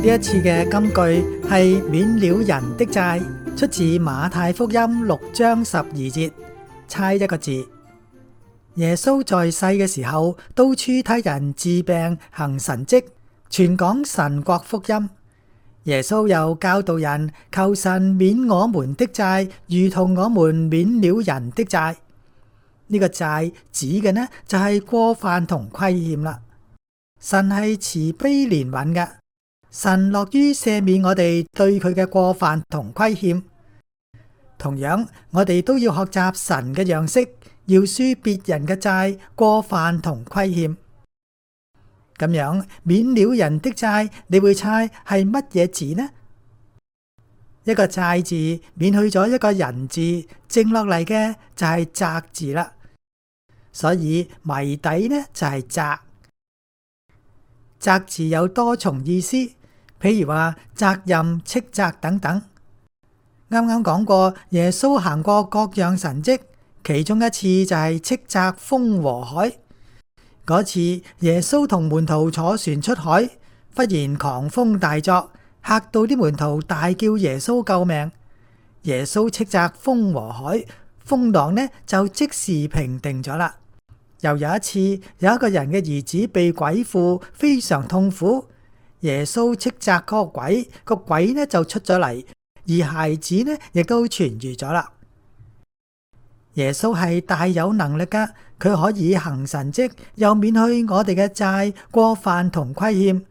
呢一次嘅金句係免了人的債，出自馬太福音6章12節，猜一個字。耶穌在世嘅時候，到處替人治病行神蹟，傳講神國福音。耶穌又教導人求神免我們的債，如同我們免了人的債。呢個債指嘅呢就係過犯同虧欠啦。神係慈悲憐憫嘅，神樂於赦免我哋對佢嘅過犯同虧欠。同樣，我哋都要學習神嘅樣式，饒恕別人嘅債、過犯同虧欠。咁樣免了人的債，你會猜係乜嘢字呢？一個債字免去咗一個人字，剩落嚟嘅就係責字啦。所以謎底呢就係責。責字有多重意思，譬如話責任、斥責等等。啱啱講過，耶穌行過各樣神蹟，其中一次就係斥責風和海。嗰次耶穌同門徒坐船出海，忽然狂風大作，嚇到啲門徒大叫耶穌救命。耶穌斥責風和海，風浪呢就即時平定咗啦。又有一次，有一個人嘅兒子被鬼附，非常痛苦。耶穌斥責嗰個鬼，個鬼呢就出咗嚟，而孩子呢亦都痊癒咗啦。耶穌係大有能力噶，佢可以行神蹟，又免去我哋嘅債、過犯同虧欠。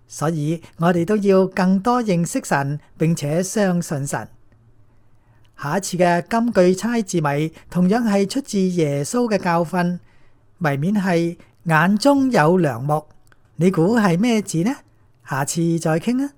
所以我哋都要更多認識神，並且相信神。下一次嘅金句猜字謎，同樣係出自耶穌嘅教訓。謎面係眼中有樑木，你估係咩字呢？下次再傾啊！